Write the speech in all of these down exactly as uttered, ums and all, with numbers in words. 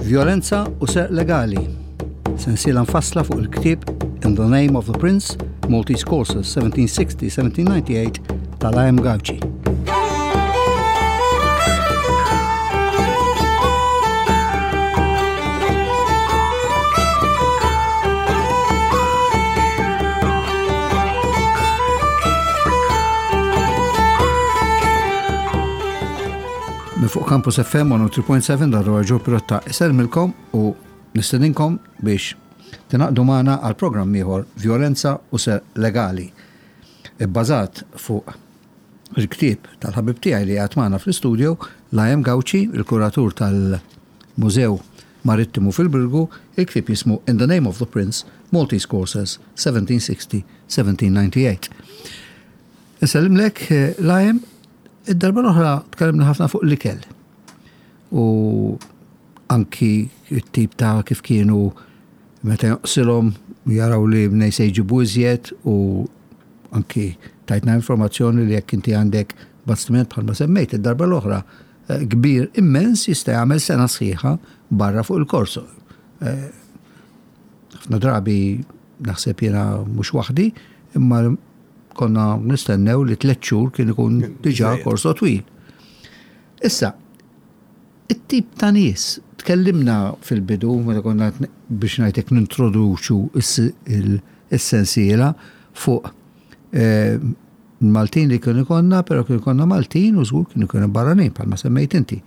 Violenza u Serq Legali. Sensiela mfassla fuq il-ktieb In the Name of the Prince, Maltese Courses seventeen sixty seventeen ninety-eight tal-A M. Gauci. Minn fuq Campus F M one oh three point seven dar Joe Pirotta isellmilkom u nistedinkom biex tingħaqdu magħna għal programm ieħor, Violenza u Serq Legali. Ibbażat fuq il-ktieb tal-ħabib tiegħi li għad magħna fl-istudio, L A M. Gauci, il-kuratur tal-Mużew Marittimu fil-Birgu. Il-ktieb jismu In the Name of the Prince, Maltese Courses seventeen sixty seventeen ninety-eight. Insellimlek, L A M, id-darba l-oħra tkellimna ħafna fuq l-ikel. U anki it-tip ta' kif kienu meta jonqsilhom jaraw li mnej se jġibu iżjed u anki tajtna informazzjoni li jekk inti għandek bastiment, bħalma semmejt id-darba l-oħra, eh, kbir immens, jista' jagħmel sena sħiħa barra fuq il-korso. Eh, ħafna drabi naħseb jiena mhux waħdi, imma konna nistennew li tliet xhur kien ikun diġà korso twil. Issa, it-tip ta' nies, tkellimna fil-bidu, meta konna biex ngħidlek nintroduċu is-sensiela fuq eh, Maltin li kienu konna, pero kienu konna Maltin u żgur kienu kienu barranin, bħalma semmejt inti.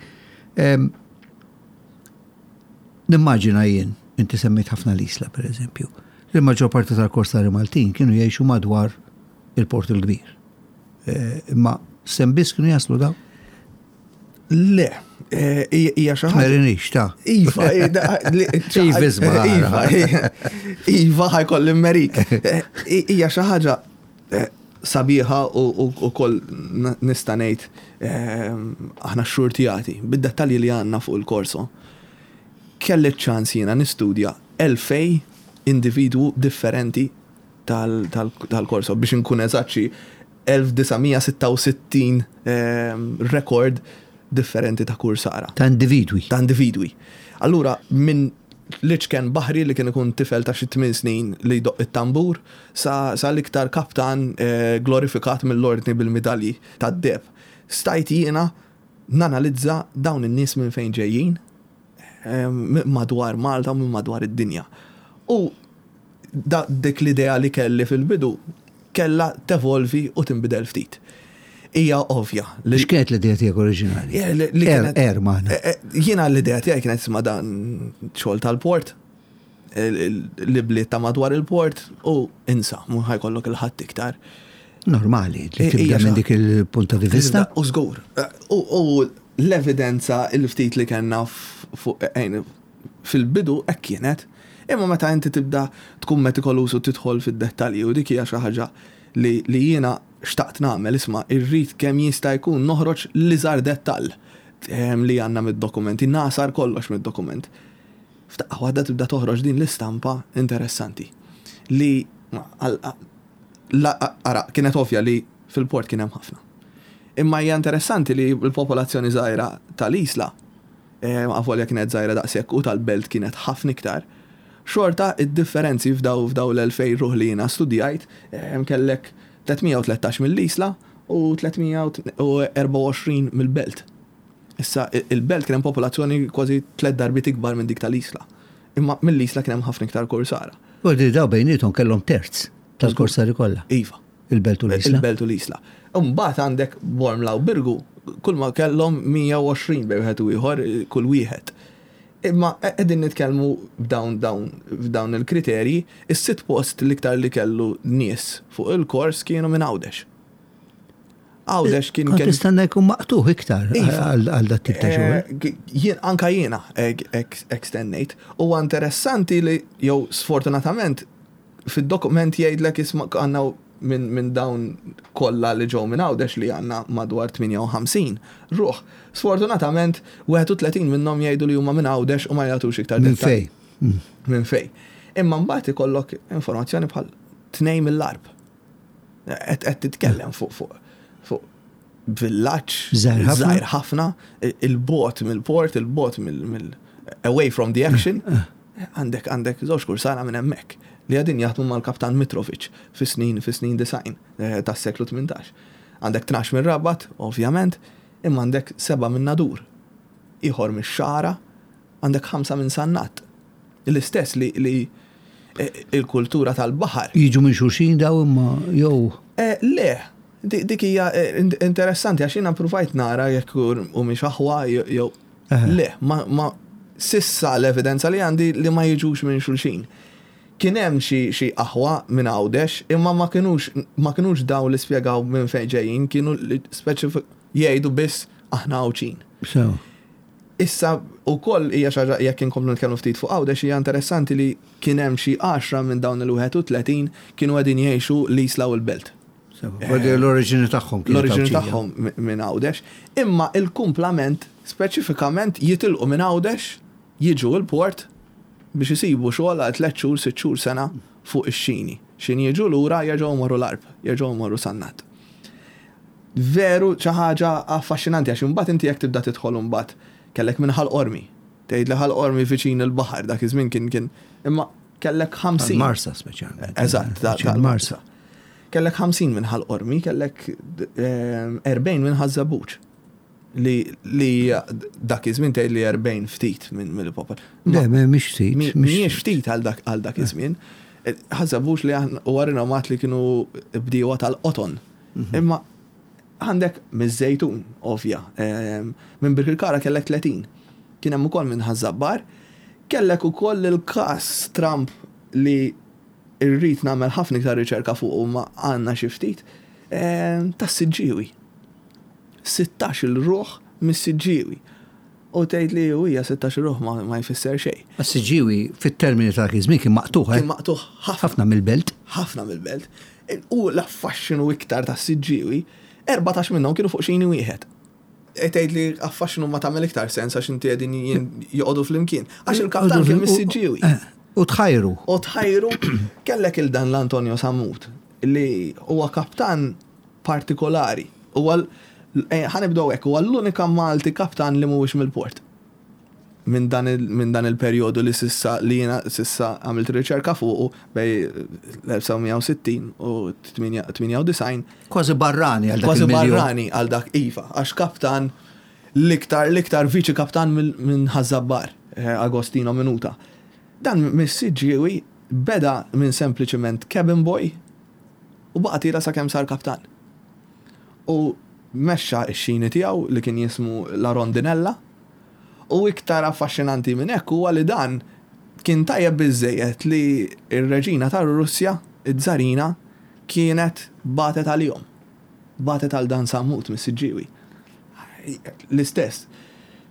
Nimmaġina jien, inti semmejt ħafna l-Isla, per eżempju, li l-maġġor parti tal-korsari Maltin kienu jgħixu madwar il-Port il-Kbir. Eh, imma s'hemm biss kienu jaslu daw? Le, eh, hija xi ħaġa. Merinix, ta' Iva, Iva, Iva, Iva, ħa jkolli mmerik. Eh, hija xi ħaġa sabiħa u koll nista' ngħid aħna xxurtjati bid-dettalji li għandna fuq il-korso. Kelli ċans jiena nistudja elfejn individwu differenti tal-korso, biex nkun eżatt elf disa' mija sitta u sittin rekord differenti ta' kursara. Ta' individwi. Ta' individwi. Allura, minn l-iċken baħri li kien ikun tifel ta' xi tmien snin li jdoqq it-tambur sa, sa l-iktar kaptan eh, glorifikat mill-ordni bil-medalji tad-deheb. Stajt jiena nanalizza dawn in-nies minn fejn ġejjin, eh, madwar Malta u minn madwar id-dinja. U da, dik l-idea li kelli fil-bidu kella tevolvi u tinbidel ftit. Hija ovvja. X'kienet l-idea tiegħek oriġinali? Er, er magħna. Eh, eh, jiena l-idea tiegħi kienet isma' dan xogħol tal-port, li bliet ta' madwar il-port u insa, mhux ħa jkollok 'il ħadd iktar. Normali, li tibda minn dik il-punta di vista. U żgur. U l-evidenza il-ftit li kellna fuq fil-bidu hekk kienet. Imma meta inti tibda tkun metikolus u tidħol fid-dettalji, u dik hija xi ħaġa li jiena xtaqt nagħmel, isma' irrid kemm jista' jkun noħroġ l-iżgħar dettall ehm, li għandna mid-dokumenti, nasar kollox mid-dokument. F'daqqa waħda tibda toħroġ din l-istampa interessanti. Li ara, kienet ovvja li fil-port kien hemm ħafna. Imma hija interessanti li l-popolazzjoni żgħira tal-Isla, ehm, avolja kienet żgħira daqshekk u tal-belt kienet ħafna iktar, xorta id-differenzi f'daw f'daw l-elfejn ruħ li jiena studjajt, ehm, kellek tliet mija u tlettax mill-Isla u tliet mija u erbgħa u għoxrin mill-belt. Issa il-belt kien hemm popolazzjoni kważi tliet darbiet ikbar minn dik tal-Isla. Imma mill-Isla kien hemm ħafna iktar korsara. U di daw bejniethom kellhom terz tal-korsari kollha. Iva. Il-belt u l-Isla. Il-belt u l-Isla. Mbagħad għandek Bormla u Birgu, kull ma kellhom mija u għoxrin bejn wieħed u ieħor kull wieħed. Imma qegħdin nitkellmu b'dawn dawn f'dawn il-kriterji, is-sitt post l-iktar li kellu nies fuq il-kors kienu minn Għawdex. Għawdex kien Kont tistenna jkun maqtuħ iktar Iva. għal dat tip ta' xogħol. Eh, jien anka jiena hekk stennejt. Huwa interessanti li jew sfortunatament fid-dokument jgħidlek isma' għandna minn min dawn kollha li ġew minn Għawdex li għandna madwar tmienja u ħamsin ruħ. Sfortunatament wieħed u tletin minnhom jgħidu li huma minn Għawdex u ma jagħtux iktar Minn dettalji. fej? Mm. Minn fej. Imma mbagħad ikollok informazzjoni bħal tnejn mill-Għarb. Qed titkellem fuq fuq fuq villaġġ Żgħir ħafna. żgħir ħafna, 'il bogħod mill-port, 'il bogħod mill away from the action, għandek għandek żewġ kursara minn hemmhekk li qegħdin jaħdmu mal-kaptan Mitrovic fis-snin fis-snin disgħin eh, tas-seklu tmintax. Għandek tnax minn Rabat, ovvjament, imma għandek seba' minn Nadur, ieħor mix-Xagħra, għandek ħamsa minn Sannat. L-istess li, li eh, il-kultura tal-baħar. Jiġu minn xulxin daw imma jew. Eh, le, dik hija interessanti għax jiena provajt nara jekk u mhix aħwa jew le, ma, ma sissa l-evidenza li għandi li ma jiġux minn xulxin. Kien hemm xi xi aħwa minn Għawdex, imma ma kinux ma kinux daw li spjegaw minn fejn ġejjin, kienu li speċifik jgħidu biss aħna Għawdxin. So. Issa ukoll hija xi ħaġa, jekk inkomplu nitkellmu ftit fuq Għawdex, hija interessanti li kien hemm xi għaxra minn dawn il-wieħed u tletin kienu qegħdin jgħixu l-Isla u l-Belt. L-oriġini tagħhom. L-oriġini tagħhom minn Għawdex, imma il-kumplament speċifikament jitilqu minn Għawdex, jiġu l-port biex isibu xogħol għal tliet xhur, sitt xhur, sena fuq ix-xini. X'ħin jiġu lura jerġgħu morru l-Għarb, jerġgħu morru Sannat. Veru xi ħaġa affaxxinanti għax imbagħad inti jekk tibda tidħol imbagħad kellek minn Ħal Qormi. Tgħid li Ħal Qormi viċin il-baħar dak iż-żmien kien kien imma kellek ħamsin. Marsa speċjalment. Eżatt, tal-Marsa. Kellek ħamsin minn Ħal Qormi, kellek erbgħin minn Ħaż-Żebbuġ. Li, li dak iż-żmien tgħid li erbgħin ftit minn mill-popol. Le, mhix ftit. Mhijiex ftit għal dak għal dak iż-żmien. Ħaż-Żebbuġ li huwa rinomat li kienu bdiewa tal-qoton. Imma għandek miż-Żejtun, ovvja. Minn Birkirkara kellek tletin. Kien hemm ukoll minn Ħaż-Żabbar. Kellek ukoll il-każ Trump li irrid nagħmel ħafna iktar riċerka fuq u ma għandna xi ftit tas-Siġġiewi. Sittax-il ruħ mis-Siġġiewi. U tgħid li hija sittax ruħ ma, ma jfisser xejn. Is-Siġġiewi fit-termini ta' żmien kien maqtugħ. Kien maqtugħ ħafna. Ħafna mill-belt. Ħafna mill-belt. U l-affaxxinu iktar tas-Siġġiewi, erbatax minnhom kienu fuq xini wieħed. E tgħid li affaxxinu ma tagħmel iktar sens għax inti qegħdin joqogħdu flimkien. Għax il-kaptan kien mis-Siġġiewi. U tħajru. U tħajru kellek il dan l-Antonio Sammut li huwa kaptan partikolari. Huwa ħa nibdew hekk, huwa l-unika Malti kaptan li mhuwiex mill-port. Minn dan il, dan il-perjodu li sissa li jiena sissa għamilt riċerka fuqu bejn l-elf disa' mija u sittin u tmienja u disgħin. Kważi barrani għal dak. Kważi barrani għal dak, iva, għax kaptan l-iktar l-iktar viċi kaptan minn Ħaż-Żabbar, eh, Agostino Minuta. Dan mis-Siġġiewi beda minn sempliċement cabin boy u baqa' tiela' sakemm sar kaptan. U mexxa x-xini tiegħu li kien jismu La Rondinella u iktar affaxxinanti minn hekk huwa li dan kien tajjeb biżejjed li r-reġina tar-Russja, iż-Żarina, kienet bagħtet għalihom. Bagħtet għal dan Sammut mis-Siġġiewi. L-istess.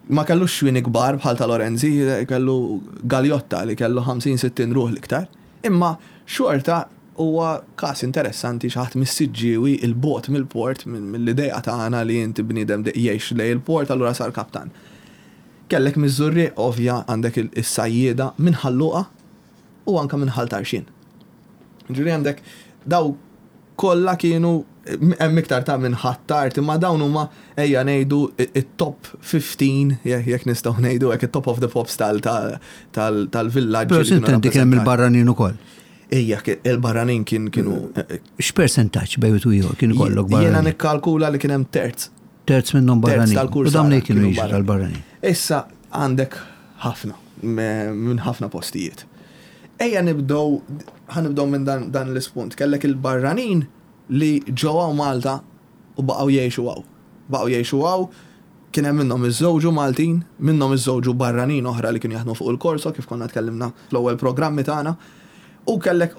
Ma kellux xwini kbar bħal ta' Lorenzi, kellu galjotta li kellu ħamsin sittin ruħ l-iktar. Imma xorta huwa każ interessanti, xi ħadd mis-Siġġiewi, 'il bogħod mill-port, mill-idea tagħna li inti bniedem jgħix lejn il-port, allura sar kaptan. Kellek miż-Żurrieq, ovvja, għandek is-sajjieda minn Ħal Luqa u anka minn Ħal Tarxien. Ġifieri għandek daw kollha kienu hemm iktar ta' minn Ħ'Attard, imma dawn huma, ejja ngħidu, it-top ħmistax, jekk nistgħu ngħidu hekk, it-top of the pops tal-villaġġ. Però sintendi kien hemm il-barranin ukoll. Ejja, il-barranin kien kienu. X'persentaġġ bejn u ieħor kien ikollok barranin? Jiena nikkalkula li kien hemm terz. Terz minnhom barranin. U dawn li kienu jiġu tal-barranin. Issa għandek ħafna, minn ħafna postijiet. Ejja nibdew, ħa nibdew minn dan, dan l-ispunt. Kellek il-barranin li ġew Malta u baqgħu jgħixu hawn. Baqgħu jgħixu hawn, kien hemm minnhom iżżewġu Maltin, minnhom iżżewġu barranin oħra li kienu jaħdmu fuq il-Korso kif konna tkellimna fl-ewwel programmi tagħna. U kellek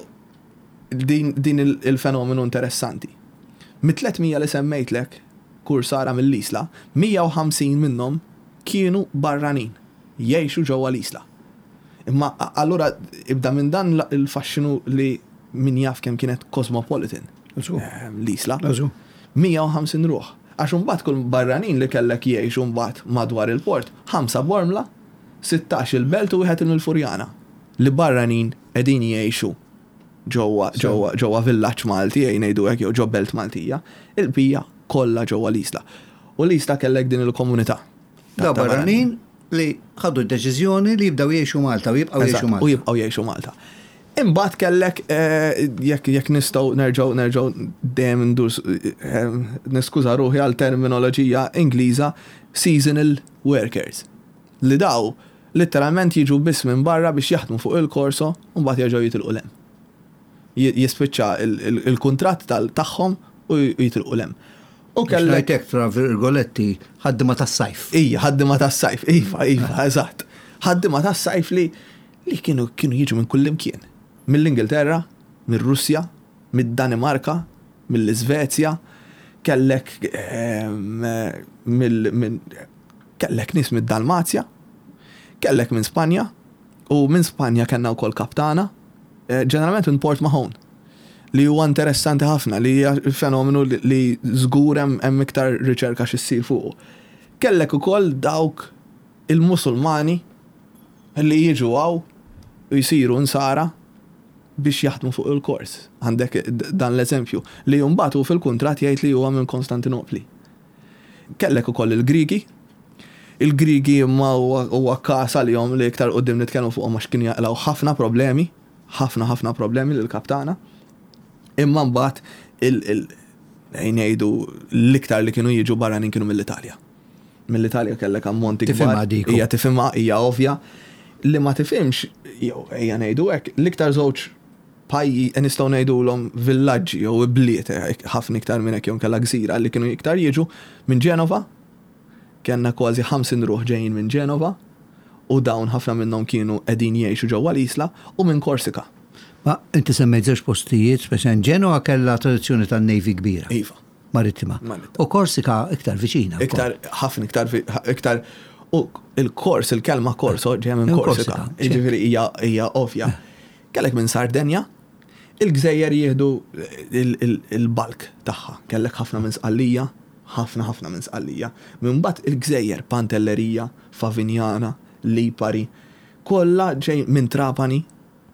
din, din il-fenomenu interessanti. Mit-tliet mija li semmejtlek kursara mill-Isla, mija u ħamsin minnhom kienu barranin jgħixu ġewwa l-Isla. Imma allura ibda minn dan il-faxxinu li min jaf kemm kienet cosmopolitan ehm, l-Isla. mija u ħamsin ruħ. Għax imbagħad kull barranin li kellek jgħixu mbagħad madwar il-port, ħamsa Bormla, sittax il-Belt u wieħed il-Furjana. Li barranin qegħdin jgħixu ġewwa ġewwa ġewwa villaġġ Malti, ejja ngħidu hekk, jew ġo belt Maltija, il-bqija kollha ġewwa l-Isla. U l-Isla kellek din il-komunità. Da barranin Li ħadu d-deċiżjoni li jibdew jgħixu Malta u jibqgħu jgħixu Malta. U jibqgħu jgħixu Malta. Imbagħad kellek eh, jekk jekk nistgħu nerġgħu nerġgħu dejjem ndur eh, niskuża ruħi għal terminoloġija Ingliża, seasonal workers. Li daw letteralment jiġu biss minn barra biex jaħdmu fuq il-korso u mbagħad jerġgħu jitilqu 'l hemm. Jispiċċa il-kuntratt tagħhom u jitilqu 'l hemm. U kellek tra virgoletti ħaddima tas-sajf. Ija, ħaddima tas-sajf, iva, iva, eżatt. Ħaddima tas-sajf li li kienu kienu jiġu minn kullimkien. Mill-Ingilterra, mir-Russja, mid-Danimarka, mill-Iżvezja, kellek ehm, mill kellek nies mid-Dalmazja, kellek minn Spanja, u minn Spanja kellna wkoll kaptana, eh, ġeneralment minn Port Mahon, li huwa interessanti ħafna, li hija fenomenu li żgur hemm iktar riċerka x'issir fuqu. Kellek ukoll dawk il-Musulmani li jiġu hawn u jsiru nsara biex jaħdmu fuq il-kors. Għandek dan l-eżempju li mbagħad hu fil-kuntratt jgħid li huwa minn Konstantinopli. Kellek ukoll il-Grigi. Il-Grigi imma huwa każ għalihom li iktar quddiem nitkellmu fuqhom għax kienu jaqilgħu ħafna problemi, ħafna ħafna problemi lill-kaptana. Imma mbagħad il ngħidu l-iktar li kienu jiġu barranin kienu mill-Italja. Mill-Italja kellek ammonti kbar. Hija tifhimha, hija ovvja. Li ma tifhimx, jew ejja ngħidu hekk, l-iktar żewġ pajji nistgħu ngħidulhom villaġġi jew bliet, ħafna iktar minn hekk jew kellha gżira li kienu iktar jiġu minn Ġenova. Kellna kważi ħamsin ruħ ġejjin minn Ġenova u dawn ħafna minnhom kienu qegħdin jgħixu ġewwa l-Isla, u minn Korsika. Ma inti semmejt żewġ postijiet, speċjalment Ġenova kellha tradizzjoni tan-Navy kbira. Iva. Marittima. Marittima. U Korsika iktar viċina. Iktar, ħafna iktar, iktar. U il-kors, il-kelma korso ġejja minn Minn Korsika. Korsika, Jiġifieri hija, hija ovvja. Kellek minn Sardenja, il-gżejjer jieħdu il-bulk tagħha. Kellek ħafna minn Sqallija, ħafna ħafna minn Sqallija. Minn mbagħad il-gżejjer Pantellerija, Favignana, Lipari, kollha ġej minn Trapani,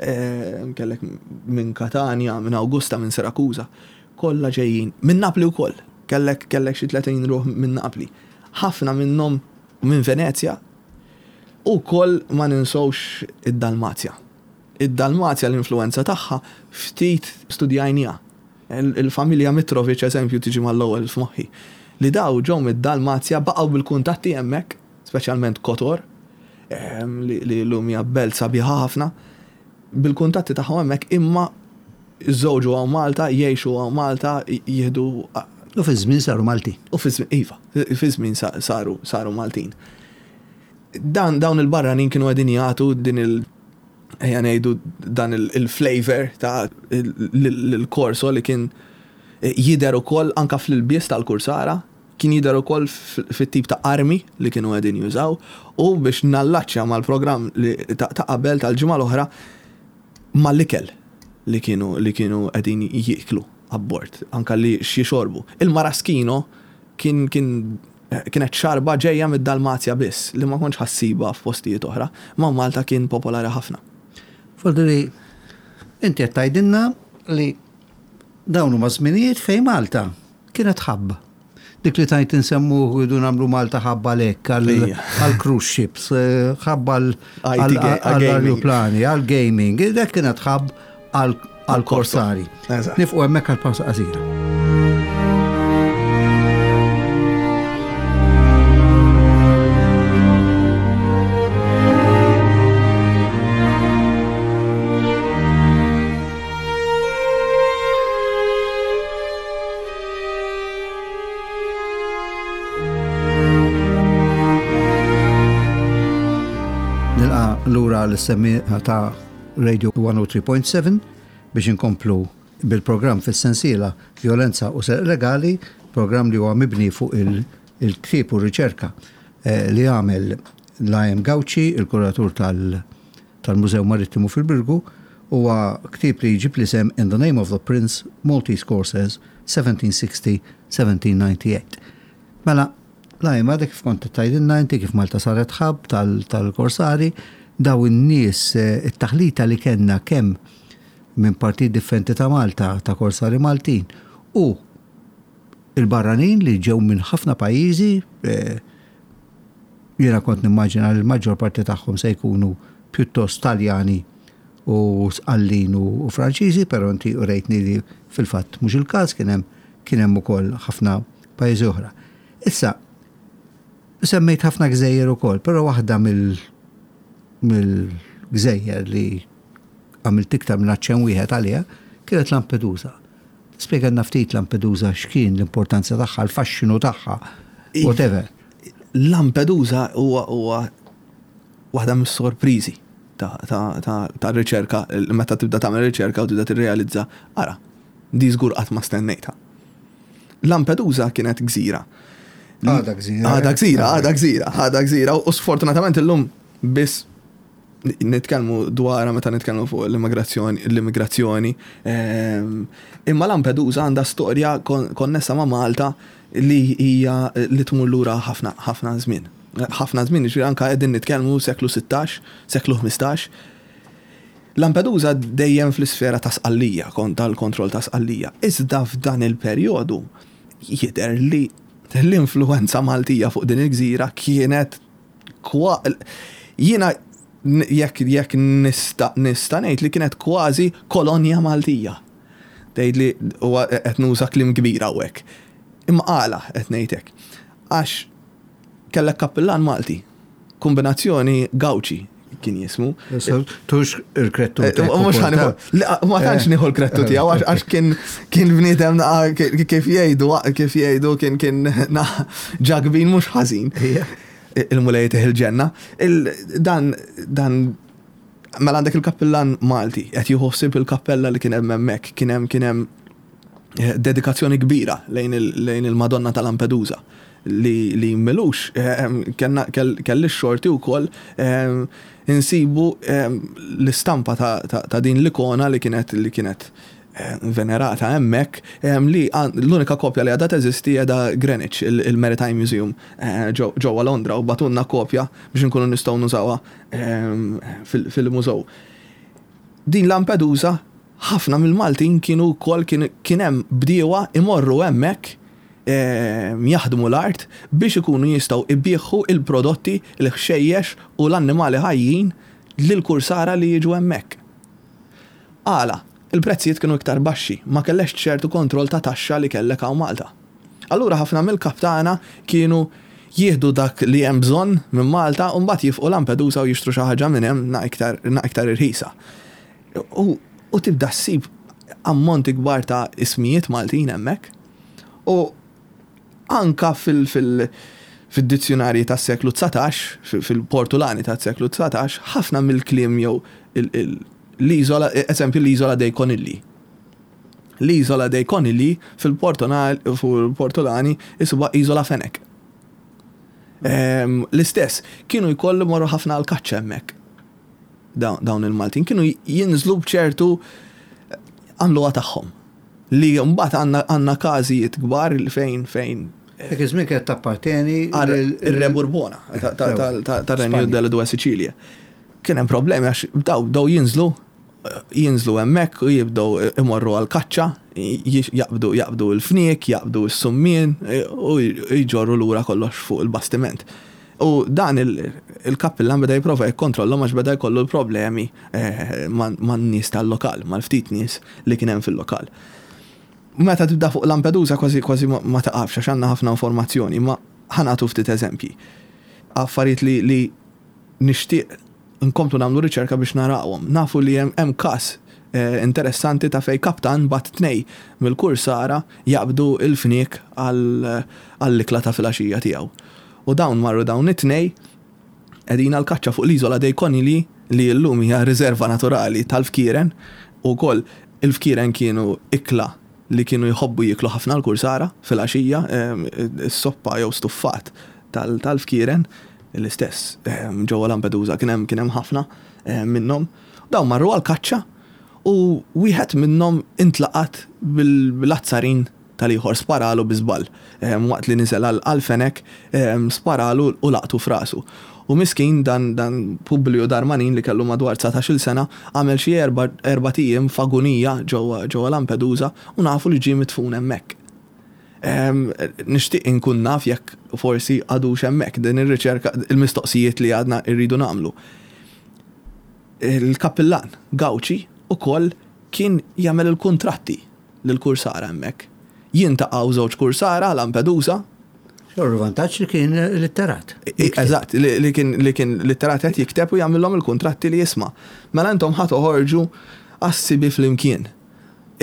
eh, kellek minn Katania, minn Augusta, minn Sirakuza, kollha ġejjin minn Napli wkoll. Kellek, kellek xi tletin ruħ minn Napli. Ħafna minnhom minn Venezja u koll ma ninsewx id-Dalmazja. Id-Dalmazja l-influenza tagħha ftit studjajnija. Il-familja Mitrovic eżempju tiġi mal-ewwel f'moħħi. Li daw ġew mid-Dalmazja baqgħu bil-kuntatti hemmhekk, speċjalment Kotor, ehm, li, li llum hija belt sabiħa ħafna, bil-kuntatti tagħhom hemmhekk imma żewġu hawn Malta, jgħixu hawn Malta, jieħdu U fi żmien saru Maltin. U fi żmien, iva, fi żmien saru, saru Maltin. Dan, dawn il-barranin kienu qegħdin jagħtu din il-, ejja ngħidu dan il-flavor ta' l-korso li kien jidher ukoll anka fl-ilbies tal-kursara, kien jidher ukoll fit-tip ta' armi li kienu qegħdin jużaw, u biex nallaċċja mal-programm li ta' qabel tal-ġimgħa l-oħra mal-ikel li kienu, li kienu qegħdin jieklu abbord, anka li xixorbu. Il-maraschino kien, kien, kienet xarba ġejja mid-Dalmazja biss, li ma kontx ħassiba f'postijiet oħra, ma Malta kien popolari ħafna. Fodri, inti qed tgħidilna li dawn huma żminijiet fejn Malta kienet ħabba. Dik li tajt insemmu jridu nagħmlu Malta ħabba lek għal cruise ships, ħabba għal aeroplani, għal gaming, dak kienet ħabb għal korsari. Nifqu hemmhekk għal pawsa qasira. Lura l-semmiegħa ta' Radio one oh three point seven biex inkomplu bil-programm fis-sensiela Violenza u Serq Legali, programm li huwa mibni fuq il-ktieb u riċerka eh, li għamel Liam Gauci, il-kuratur tal-Mużew Marittimu fil-Birgu, huwa ktieb li jġib l-isem In the Name of the Prince, Maltese Corsairs, seventeen sixty seventeen ninety-eight. Mela, Liam, għadek kif kont tgħidilna inti kif Malta saret hub tal-korsari, daw in-nies, eh, it-taħlita li kellna kemm minn partit differenti ta' Malta, ta' korsari Maltin, u il-barranin li ġew minn ħafna pajjiżi, eh, Jiena kont nimmaġina li l-maġġor parti tagħhom se jkunu pjuttost Taljani u Sqallin u Franċiżi, però inti urejtni li fil-fatt mhux il-każ, kien hemm kien hemm ukoll ħafna pajjiżi oħra. Issa, semmejt ħafna gżejjer ukoll, però waħda mill-gżejjer li għamilt iktar minn aċċenn wieħed għaliha kienet Lampedusa. Spjegalna ftit Lampedusa, x'kien l-importanza tagħha, l-faxxinu tagħha, whatever. Lampedusa huwa huwa waħda mis-sorpriżi ta' riċerka, meta tibda tagħmel riċerka u tibda tirrealizza, ara, di żgur qatt ma stennejtha. Lampedusa kienet gżira. Għada gżira. Għada gżira, għada gżira, għada gżira. U sfortunatament illum biss nitkellmu dwarha meta nitkellmu fuq l-immigrazzjoni, l-immigrazzjoni. Ehm, imma Lampedusa għandha storja konnessa ma' Malta li hija li tmur lura ħafna ħafna żmien. Ħafna żmien, ġifieri anke qegħdin nitkellmu seklu sittax, seklu ħmistax. Lampedusa dejjem fl-isfera ta' Sqallija, kont tal-kontroll ta' Sqallija. Iżda f'dan il-perjodu jidher li l-influenza Maltija fuq din il-gżira kienet kwa jiena jekk jekk nista' nista' ngħid li kienet kważi kolonja Maltija. Tgħid li huwa qed nuża kliem kbir hawnhekk. Imma għala qed ngħid hekk? Għax kellek kappillan Malti, kombinazzjoni Gawċi kien jismu. Tux il-krettu. Eh, mhux ħa nieħu, ma tantx nieħu l-krettu tiegħu għax kien kien bniedem kif jgħidu, kif jgħidu kien kien ġagbin mhux ħażin. Il-Mulej tih il-ġenna. Dan dan mela għandek il-kappillan Malti qed jieħu ħsieb il-kappella li kien hemm hemmhekk, kien hemm kien hemm eh, dedikazzjoni kbira lejn il-Madonna ta' Lampedusa li li milux eh, kelli xorti wkoll eh, insibu l-istampa ta' din l-ikona li kienet li kienet venerata hemmhekk, li l-unika kopja li għadha teżisti qiegħda Greenwich, il-Maritime Museum ġewwa Londra, u bagħtulna kopja biex nkunu nistgħu nużawha fil-mużew. Din Lampedusa, ħafna mill-Maltin kienu wkoll, kien hemm bdiewa imorru hemmhekk jaħdmu l-art biex ikunu jistgħu ibieħu il-prodotti, il-ħxejjex u l-annimali ħajjin lil kursara li jiġu hemmhekk. Għala, il-prezzijiet kienu iktar baxxi, ma kellekx ċertu kontroll ta' taxxa li kellek hawn Malta. Allura ħafna mill-kaptana kienu jieħdu dak li hemm bżonn minn Malta u mbagħad jifqu Lampedusa u jixtru xi ħaġa minn hemm na iktar na iktar irħisa. U, u tibda ssib ammonti kbar ta' ismijiet Maltin hemmhekk. U anka fil-, fil-, fil-dizzjonarji tas-seklu dsatax, fil-Portulani tas-seklu dsatax, ħafna mill-kliem jew l-iżola, eżempju l-iżola dei Conigli. L-iżola dei Conigli fil-Portulani isuba Iżola Fenek. Ehm, l-istess, kienu jkollu morru ħafna għal-kaċċa hemmhekk. Dawn il-Maltin kienu jinżlu b'ċertu għamluha tagħhom. Li mbagħad għandna każijiet kbar fejn fejn Dak iż-żmien kienet tapparteni ir-Re Burbona tar-Renju delle Due Sicilie. Kien hemm problemi għax daw daw jinżlu jinżlu hemmhekk u jibdew imorru għal kaċċa, jaqbdu jaqbdu l-fniek, jaqbdu s-summien u jġorru lura kollox fuq il-bastiment. U dan il-kappillan beda jipprova jikkontrollhom għax beda jkollu l-problemi eh, man-nies tal-lokal, mal-ftit nies li kien hemm fil-lokal. Meta tibda fuq Lampedusa kważi kważi ma taqafx għax għandna ħafna informazzjoni, ma ħa nagħtu ftit eżempji. Affarijiet li, li nixtieq nkomplu nagħmlu riċerka biex narawhom. Nafu li hemm każ eh, interessanti ta' fej kaptan bagħat tnejn mill-kursara jaqbdu il-fniek għall-ikla ta' filgħaxija tiegħu. U dawn marru, dawn it-tnej qegħdin għal-kaċċa fuq l-iżola dei Conigli, li llum hija riserva naturali tal-fkieren, u koll il-fkieren kienu ikla li kienu jħobbu jiklu ħafna l-kursara fil-għaxija, s-soppa jew stuffat tal-fkieren, l-istess ġewwa Lampedusa kien hemm kien hemm ħafna minnhom. Dawn marru għal-kaċċa u wieħed minnhom intlaqat bil-azzarin tal-ieħor, sparalu bi żball. Waqt li niżel għal-fenek, sparalu u laqtu f'rasu. U miskin dan, dan Publio Darmanin li kellu madwar dsatax-il sena għamel xi erba' ijiem f'agunija ġewwa ġewwa Lampedusa u nafu li ġie midfun hemmhekk. Nixtieq inkun naf jekk forsi għadu hemmhekk din ir-riċerka, il-mistoqsijiet li għadna rridu nagħmlu. Il-kappillan Gawċi ukoll kien jagħmel il-kuntratti lil-kursara hemmhekk. Jiltaqgħu żewġ kursara Lampedusa. Xorru vantaġġ li kien litterat. Eżatt, li kien li kien litterat, qed jikteb u jagħmilhom il-kuntratti li jisma'. Mela intom ħa toħorġu għas-sibi flimkien.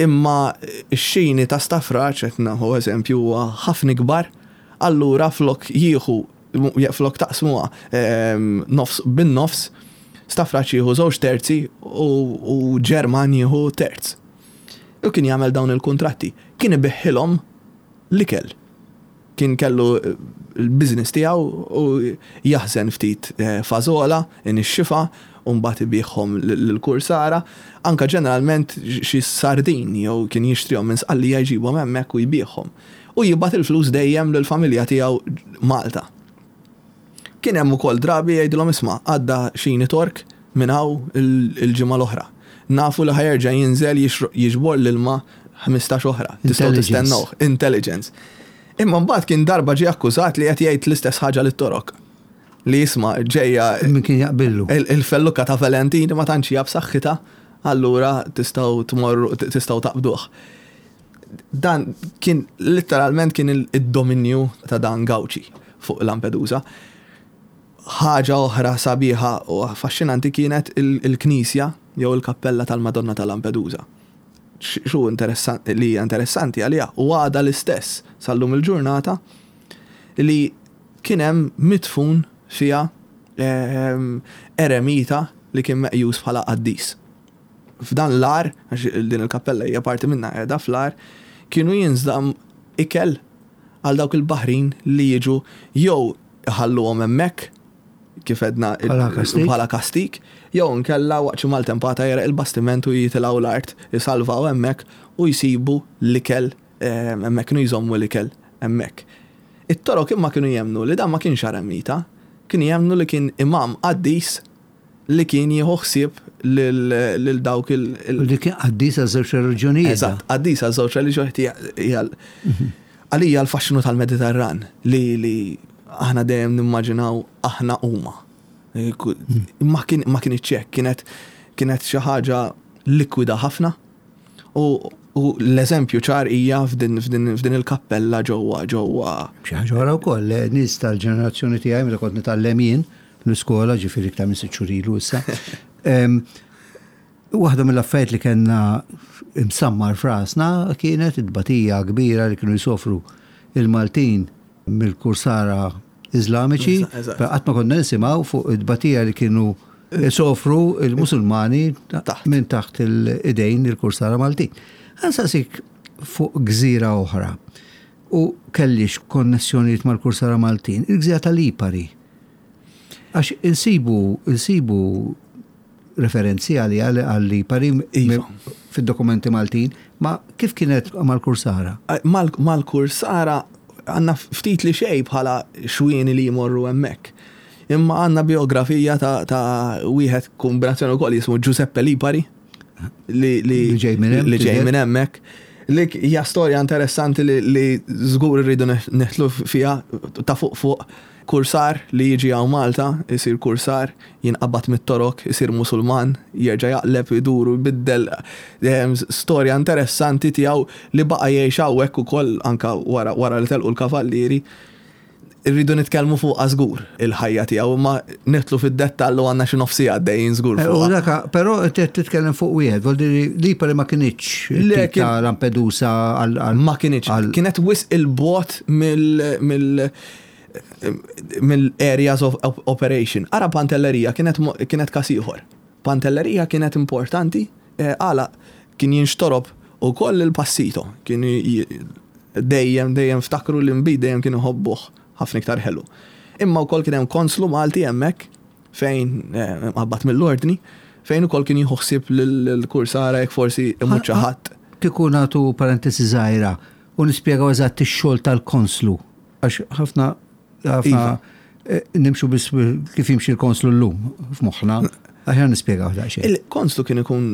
Imma x-xini ta' Stafraċ, qed naħu eżempju, huwa ħafna kbar, allura flok jieħu flok taqsmuha ehm, nofs bin-nofs, Stafraċ jieħu żewġ terzi u Ġerman jieħu terz. U kien jagħmel dawn il-kuntratti. Kien ibigħilhom l-ikel. Kien kellu il-business tiegħu u jaħżen ftit eh, fażola, inixxifa, u mbagħad ibigħhom lill-kursara. Anka ġeneralment xi sardin jew kien jixtrihom minn Sqallija, jġibhom hemmhekk u jbigħhom. U jibgħat il-flus dejjem lill-familja tiegħu Malta. Kien hemm ukoll drabi jgħidilhom, "Isma', għadda xini Tork minn hawn il-ġimgħa l-oħra. Nafu li ħa jerġa' jinżel jiġbor l-ilma ħmistax oħra. Tistgħu tistennewh." Intelligence. Imma mbagħad kien darba ġie akkużat li qed jgħid l-istess ħaġa lit-Torok. Li jisma' ġejja. Min kien jaqbillu. Il-felluka ta' Valentini ma tantx hija b'saħħitha, allura tistgħu tmorru, tistgħu taqbduh. Dan kien literalment kien id-dominju ta' dan Gawċi fuq Lampedusa. Ħaġa oħra sabiħa u affaxxinanti kienet il-knisja jew il-kappella tal-Madonna ta' Lampedusa. Xu interessanti li hija interessanti għalija u għada l-istess sal-lum il-ġurnata li kien hemm midfun fiha ehm, eremita li kien meqjus bħala qaddis. F'dan l-għar, għax din il-kappella hija parti minna qiegħda fl-għar, kienu jinżamm ikel għal dawk il-baħrin li jiġu jew iħalluhom hemmhekk kif edna bħala kastik, jew nkella waqt xi maltempata jegħreq il-bastiment u jitilgħu l-art, jisalvaw hemmhekk u jsibu l-ikel ehm, hemmhekk, kienu jżommu l-ikel hemmhekk. It-Torok imma kienu jemnu li dan ma kienx eremita, kienu jemnu li kien imam qaddis li kien jieħu ħsieb lil dawk il- Li kien qaddis għal żewġ reliġjonijiet. Eżatt, qaddis għal żewġ reliġjonijiet. Għalija l-faxxinu tal-Mediterran li li aħna dejjem nimmaġinaw aħna huma. Ma kien ma kien hekk, kienet kienet xi ħaġa likwida ħafna. U u l-eżempju ċar hija f'din f'din il-kappella ġewwa ġewwa. Xi ħaġa oħra wkoll, nies tal-ġenerazzjoni tiegħi, meta kont nitgħallem jien l-iskola, ġifieri iktar minn sitt xhur ilu issa. Waħda mill-affarijiet li kellna imsammar f'rasna kienet id-batija kbira li kienu jsofru il-Maltin mill-kursara Iżlamiċi, qatt ma konna nisimgħu fuq id-batija li kienu sofru il-Musulmani minn taħt il-idejn il-kursara Maltin. Ħa nsaqsik fuq gżira oħra u kellix konnessjonijiet mal-kursara Maltin, il-gżira tal-Lipari. Għax insibu, insibu referenzi għali għal-Lipari Iva. fid-dokumenti Maltin, ma kif kienet mal-kursara? Mal-kursara għandna ftit li xej bħala xwieni li jmorru hemmhekk. Imma għandna biografija ta', ta wieħed kombinazzjoni wkoll jismu Giuseppe Lipari li li ġej minn hemm, li ġej minn hemmhekk. Li hija storja interessanti li, li żgur irridu neħtlu fiha ta' fuq fuq kursar li jiġi hawn Malta, isir kursar, jinqabad mit-Torok, isir Musulman, jerġa' jaqleb, iduru, jbiddel, storja interessanti tiegħu li baqa' jgħix hawnhekk ukoll anka wara, wara li telqu l-kavallieri. Irridu nitkellmu fuq żgur il-ħajja tiegħu, imma nidħlu fid-dettall u għandna xi nofsi għaddejjin żgur Eh, U fuqha. daka, però qed titkellem fuq wieħed, vuol dire Lipari ma kinitx Le, tip ta' Lampedusa għal għal- Ma kinitx, għal- kienet wisq il-bogħod mill mill mill-areas of op- operation. Ara Pantellerija kienet mo- kienet kas ieħor. Pantellerija kienet importanti, eh, għala kien jinxtorob u koll il-passito. Kien j- dejjem dejjem ftakru l-inbid dejjem kienu jħobbuh ħafna iktar ħelu. Imma wkoll kien hemm konslu Malti hemmhekk fejn eh, qabbat mill-ordni, fejn ukoll kien jieħu ħsieb lill-kursara jekk forsi imut xi ħadd. Kieku nagħtu parentesi żgħira u nispjegaw eżatt ix-xogħol tal-konslu, għax ħafna ħafna Iva. eh, nimxu biss kif jimxi l-konslu llum f'moħħna. Aħjar nispjegaw daqsxejn. Il-konslu kien ikun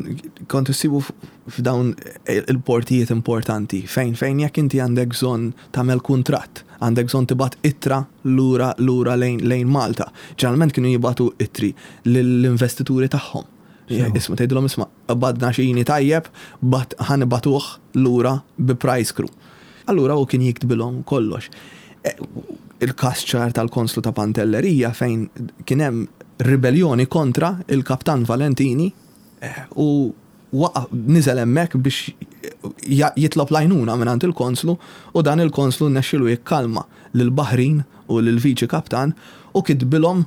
kont issibu f'dawn il-portijiet importanti fejn fejn jekk inti għandek bżonn tagħmel kuntratt, għandek bżonn tibgħat ittra lura lura lejn lejn Malta. Ġeneralment kienu jibagħtu ittri lill-investituri tagħhom. Isma' tgħidilhom, "Isma', qbadna xini tajjeb, bat ħa nibagħtuh lura bi prize crew." Allura u kien jiktbilhom kollox. E, il-kas ċar tal-konslu ta' Pantellerija, fejn kien hemm ribellioni kontra il-kaptan Valentini eh, u waqa' niżel hemmhekk biex jitlob l-għajnuna minn il-konslu, u dan il-konslu rnexxielu jikkalma lil-baħrin u lil-viċi kaptan u kitbilhom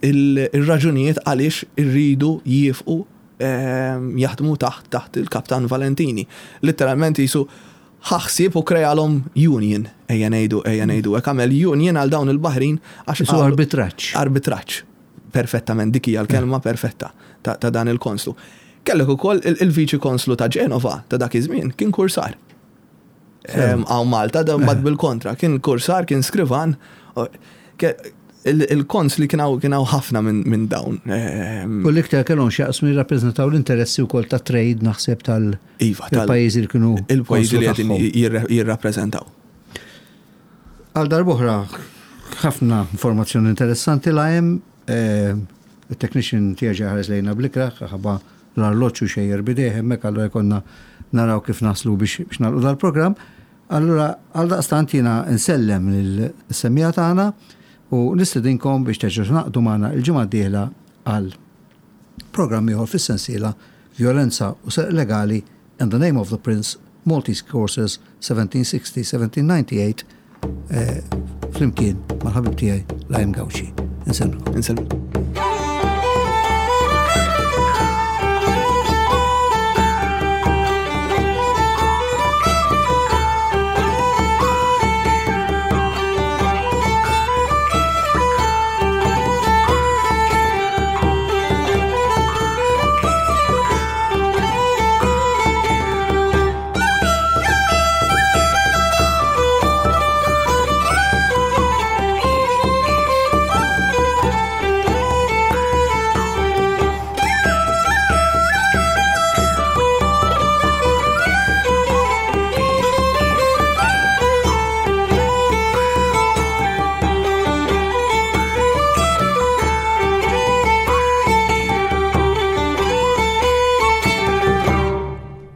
il-raġunijiet għaliex irridu jifqu ehm, jaħdmu taħt taħt il-kaptan Valentini. Literalment jisu ħaħsib u krealhom union, ejja ngħidu, ejja ngħidu, hekk, għamel union għal dawn il-baħrin għax. Isu arbitraġġ. Arbitraġġ. Perfettament, dik hija l-kelma perfetta ta', ta dan il-konslu. Kellek ukoll il-viċi konslu ta' Ġenova ta' dak iż-żmien kien kursar. Hawn Malta dan bad bil-kontra, kien kursar, kien skrivan. Il-konsli kien hawn ħafna minn dawn. U l-iktar kellhom x'jaqsmu jirrappreżentaw l-interessi wkoll ta' trade, naħseb, tal- Iva, pajjiżi li kienu. Il-pajjiżi li qegħdin jirrappreżentaw. Għal darb'oħra, ħafna informazzjoni interessanti la hemm. eh, il-technician tiegħi ħares lejna bl-ikrah, ħabba l-arloġġu xejjer bidejh hemmhekk, allura jkollna naraw kif naslu biex biex nagħlqu dal-programm. Allura għal daqstant jiena nsellem lill-semmiegħa tagħna u nistedinkom biex terġgħu tingħaqdu magħna il-ġimgħa d-dieħla għal programm ieħor fis-sensiela Violenza u Serq Legali and the Name of the Prince, Maltese Courses seventeen sixty seventeen ninety-eight, eh, flimkien mal-ħabib tiegħi Lime Gauci. Insellmilkom. Insellmilkom.